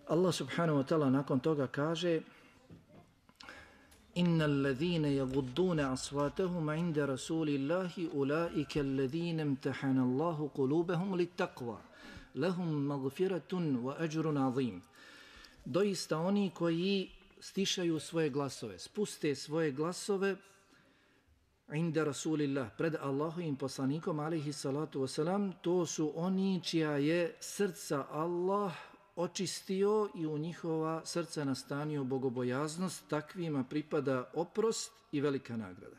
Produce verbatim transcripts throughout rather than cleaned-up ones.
Allah subhanahu wa ta'ala nakon toga kaže: Inna alladhina yagudduna aswatahum inda rasulillahi ulaika alladhina imtahana Allahu qulubahum littaqwa lahum maghfiratun wa ajrun azim. Doista oni koji stišaju svoje glasove, spuste svoje glasove inda rasulillah, pred Allahovim poslanikom alejhi salatu vesselam, to su oni čija je srca Allah očistio i u njihova srca nastanio bogobojaznost, takvima pripada oprost i velika nagrada.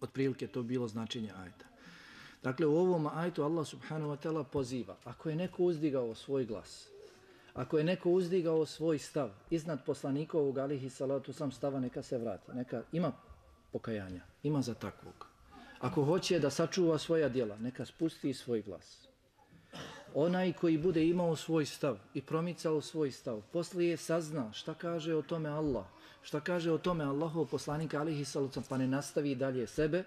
Otprilike to bilo značenje ajeta. Dakle, u ovom ajetu Allah subhanahu wa ta'ala poziva, ako je neko uzdigao svoj glas, ako je neko uzdigao svoj stav iznad poslanikovog alejhi salatu vesselam stava, neka se vrati, neka ima pokajanja, ima za takvog. Ako hoće da sačuva svoja djela, neka spusti svoj glas. Onaj koji bude imao svoj stav i promicao svoj stav, poslije sazna šta kaže o tome Allah, šta kaže o tome Allahov poslanik alejhi salatu vesselam, pa ne nastavi dalje sebe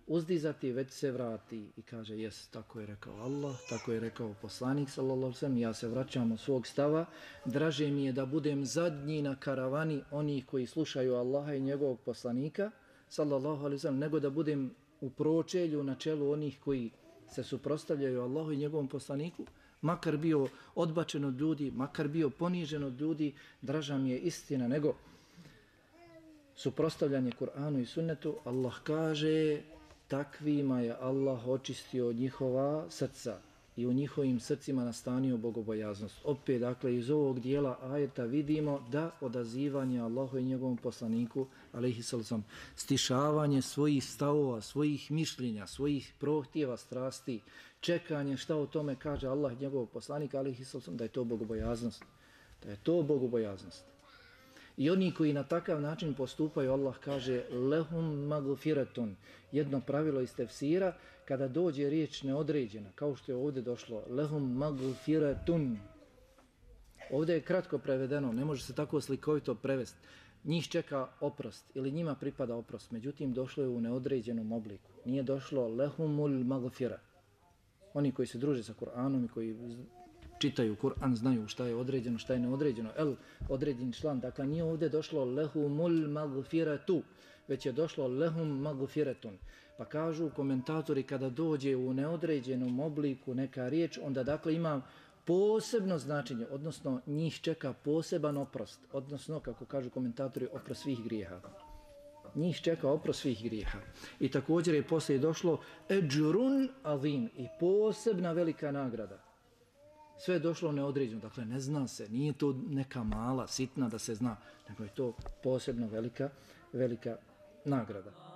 uzdizati, već se vrati i kaže: jes, tako je rekao Allah, tako je rekao poslanik sallallahu alejhi ve sellem, ja se vraćam od svog stava, draže mi je da budem zadnji na karavani onih koji slušaju Allaha i njegovog poslanika sallallahu alejhi ve sellem, nego da budem u pročelju na čelu onih koji se suprotstavljaju Allahu i njegovom poslaniku, makar bio odbačen od ljudi, makar bio ponižen od ljudi, draža mi je istina nego suprotstavljanje Kur'anu i sunnetu. Allah kaže: takvima je Allah očistio njihova srca i u njihovim srcima nastanio bogobojaznost. Opet, dakle, iz ovog dijela ajeta vidimo da odazivanje Allahu i njegovom poslaniku alejhi sallam, stišavanje svojih stavova, svojih mišljenja, svojih prohtjeva, strasti, čekanje šta o tome kaže Allah i njegov poslanik alejhi sallam, da je to bogobojaznost. Da je to bogobojaznost. I oni koji na takav način postupaju, Allah kaže: lehum magfiratun. Jedno pravilo iz tefsira, kada dođe riječ neodređena, kao što je ovdje došlo, lehum magfiratun. Ovdje je kratko prevedeno, ne može se tako slikovito prevesti. Njih čeka oprost ili njima pripada oprost, međutim došlo je u neodređenom obliku. Nije došlo lehumul magfira. Oni koji se druže sa Kur'anom i koji čitaju Kur'an znaju šta je određeno, šta je neodređeno. El, određen član. Dakle, nije ovdje došlo lehumul magfiratu, već je došlo lehum magfiratun. Pa kažu komentatori, kada dođe u neodređenom obliku neka riječ, onda dakle ima posebno značenje, odnosno njih čeka poseban oprost, odnosno, kako kažu komentatori, oprost svih grijeha. Njih čeka oprost svih grijeha. I također je poslije došlo eđrun azim, i posebna velika nagrada. Sve je došlo neodređeno, dakle ne zna se, nije to neka mala, sitna da se zna, nego je to posebno velika, velika nagrada.